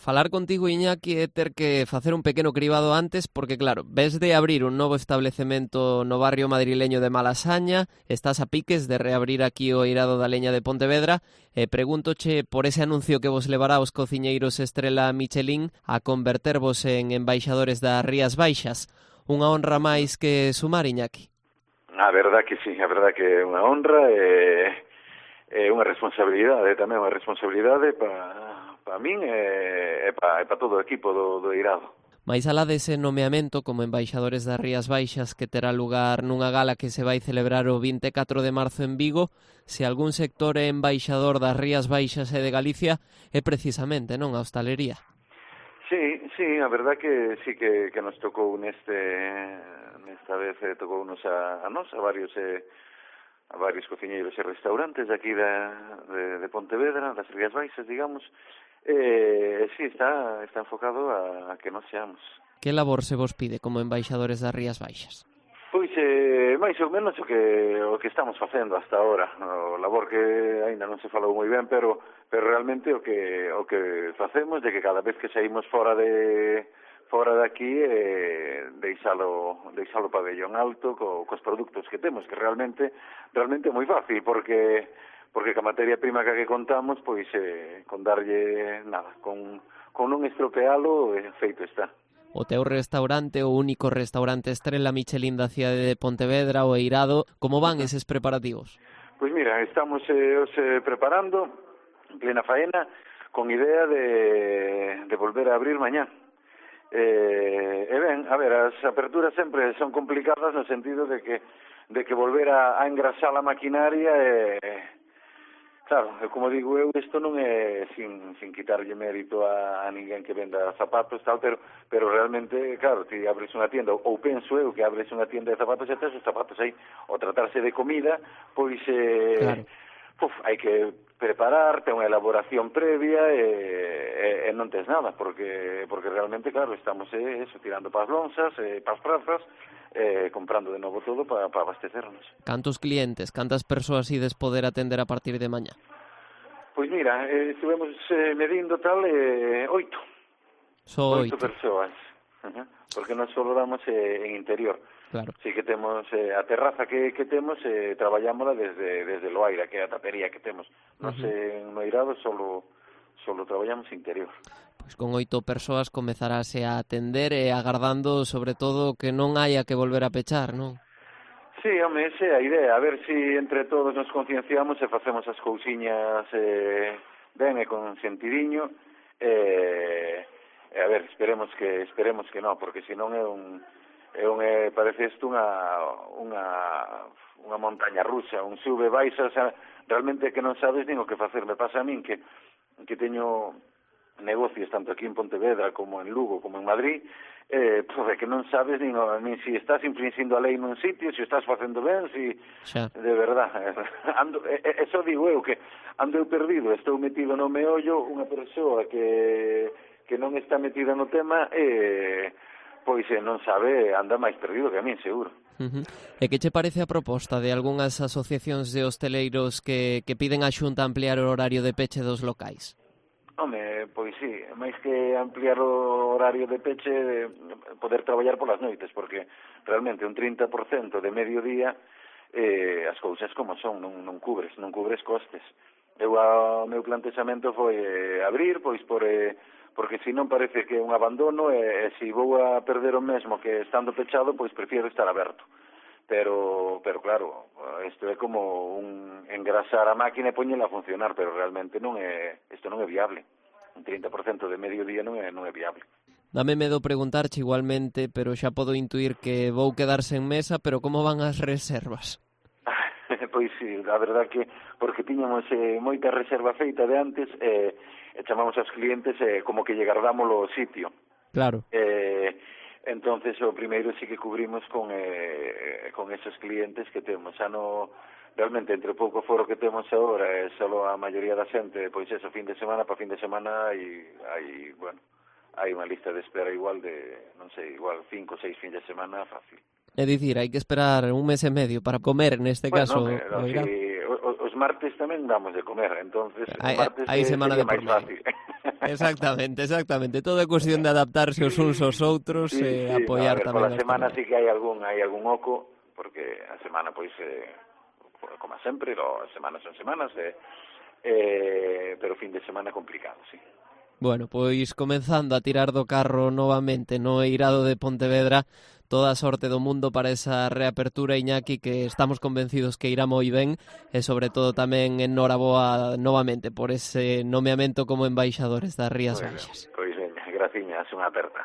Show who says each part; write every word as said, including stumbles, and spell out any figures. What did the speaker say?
Speaker 1: Falar contigo, Iñaki, é ter que facer un pequeno cribado antes porque, claro, ves de abrir un novo establecemento no barrio madrileño de Malasaña, estás a piques de reabrir aquí o eirado da leña de Pontevedra e pregúntoche por ese anuncio que vos levará aos cociñeiros Estrela Michelin a convertervos en embaixadores das Rías Baixas. Unha honra máis que sumar, Iñaki.
Speaker 2: A verdad que sí, a verdad que é unha honra e é unha responsabilidade, tamén unha responsabilidade para para min e, e para pa todo o equipo do, do eirado.
Speaker 1: Mais alá dese nomeamento como embaixadores das Rías Baixas que terá lugar nunha gala que se vai celebrar o vinte e catro de marzo en Vigo, se algún sector é embaixador das Rías Baixas e de Galicia é precisamente, non, a hostalería.
Speaker 2: Sí, sí, a verdad que sí que, que nos tocou neste nesta vez eh, tocou nos a, a nos, a varios eh, a varios cociñeiros e restaurantes de aquí da, de, de Pontevedra, das Rías Baixas, digamos. Eh, sí, está está enfocado a, a que non seamos.
Speaker 1: Que labor se vos pide como embaixadores das Rías Baixas?
Speaker 2: Pois, eh, máis ou menos o que o que estamos facendo hasta ahora. O labor que aínda non se falou moi ben, pero pero realmente o que o que facemos de que cada vez que saímos fora de fora de aquí eh, deixalo deixalo pabellón alto co, cos produtos que temos, que realmente realmente é moi fácil, porque porque ca materia prima que contamos, pois eh, con darlle nada, con, con non estropealo, eh, feito está.
Speaker 1: O teu restaurante, o único restaurante Estrela Michelin da cidade de Pontevedra, o eirado, como van eses preparativos?
Speaker 2: Pois mira, estamos eh, os, eh, preparando en plena faena con idea de, de volver a abrir mañá. Eh, e ben, a ver, as aperturas sempre son complicadas no sentido de que de que volver a, a engrasar a maquinaria e eh, claro, como digo eu, isto non é sin, sin quitarlle mérito a, a ninguén que venda zapatos, tal, pero pero realmente, claro, ti abres unha tienda, ou penso eu que abres unha tienda de zapatos e tes os zapatos aí, ao tratarse de comida, pois eh, claro. Puf, hai que preparar, ten unha elaboración previa e, e, e non tes nada, porque porque realmente, claro, estamos eh, eso, tirando pas lonzas, eh, pas prazas, eh, comprando de novo todo para pa abastecernos.
Speaker 1: Cantos clientes, cantas persoas ides poder atender a partir de mañá?
Speaker 2: Pois mira, eh, estivemos eh, medindo tal, eh, oito.
Speaker 1: Só oito.
Speaker 2: Oito persoas, uh-huh. Porque non só damos eh, en interior.
Speaker 1: Claro.
Speaker 2: Sí que temos eh, a terraza que, que temos, eh, traballámola desde, desde Loaira, que é a tapería que temos. Nos uh-huh. eh, en Noirado solo, solo traballamos interior.
Speaker 1: Pois con oito persoas comezarase a atender e agardando, sobre todo, que non haya que volver a pechar, non?
Speaker 2: Sí, home, esa é a idea. A ver se si entre todos nos concienciamos e facemos as cousiñas eh, ben e con sentidiño. Eh, e a ver, esperemos que esperemos que non, porque senón é un... É un, eh, parece isto unha, unha, unha montaña rusa, un sube, baixa, o sea, realmente que non sabes nin o que facer. Me pasa a min que, que teño negocios tanto aquí en Pontevedra como en Lugo, como en Madrid, eh, pues, que non sabes nin, nin si estás infringindo a lei nun sitio, si estás facendo ben, si... Xa. De verdad, ando, eso digo eu, que ando eu perdido, estou metido no meollo, unha persoa que, que non está metida no tema, e... Eh, pois eh, non sabe, anda máis perdido que a min, seguro.
Speaker 1: Uh-huh. E que che parece a proposta de algunhas asociacións de hosteleiros que, que piden a Xunta ampliar o horario de peche dos locais?
Speaker 2: Home, pois sí, máis que ampliar o horario de peche, de poder traballar polas noites, porque realmente un trinta por cento de mediodía eh, as cousas como son, non, non cubres, non cubres costes. Eu, o meu plantexamento foi eh, abrir, pois por... Eh, porque se non parece que é un abandono e, e se vou a perder o mesmo que estando pechado, pois prefiero estar aberto. Pero, pero claro, isto é como un engrasar a máquina e poñela a funcionar, pero realmente non é, isto non é viable. Un trinta por cento de mediodía non é, non é viable.
Speaker 1: Dame medo preguntarche igualmente, pero xa podo intuir que vou quedar sen mesa, pero como van as reservas?
Speaker 2: Pois sí, a verdad que porque tiñamos eh, moita reserva feita de antes e eh, chamamos aos clientes eh, como que lle guardámoslo o sitio.
Speaker 1: Claro.
Speaker 2: Eh, entonces o primeiro sí que cubrimos con eh, con esos clientes que temos. Xa no, realmente entre pouco foro que temos agora é eh, solo a maioría da xente, pois eso, fin de semana para fin de semana hai, hai bueno, hai unha lista de espera igual de, non sei, igual cinco ou seis fin de semana fácil.
Speaker 1: É dicir, hai que esperar un mes e medio para comer, neste
Speaker 2: bueno,
Speaker 1: caso.
Speaker 2: Pero, si, os martes tamén damos de comer, entonces
Speaker 1: hai,
Speaker 2: os martes
Speaker 1: hai semana de
Speaker 2: máis fácil.
Speaker 1: Exactamente, exactamente. Todo é cuestión de adaptarse os uns aos outros
Speaker 2: sí,
Speaker 1: e
Speaker 2: sí,
Speaker 1: apoiar
Speaker 2: no, a ver,
Speaker 1: tamén.
Speaker 2: pola semana sí que hai algún hai algún oco, porque a semana pois eh, como sempre, lo, as semanas son semanas, eh, eh, pero fin de semana complicado, sí.
Speaker 1: Bueno, pois comenzando a tirar do carro novamente no eirado de Pontevedra, toda a sorte do mundo para esa reapertura, Iñaki, que estamos convencidos que irá moi ben, e sobre todo tamén enhoraboa novamente por ese nomeamento como embaixadores das Rías
Speaker 2: Bueno,
Speaker 1: Baixas.
Speaker 2: pois veña, graciñas, unha aperta.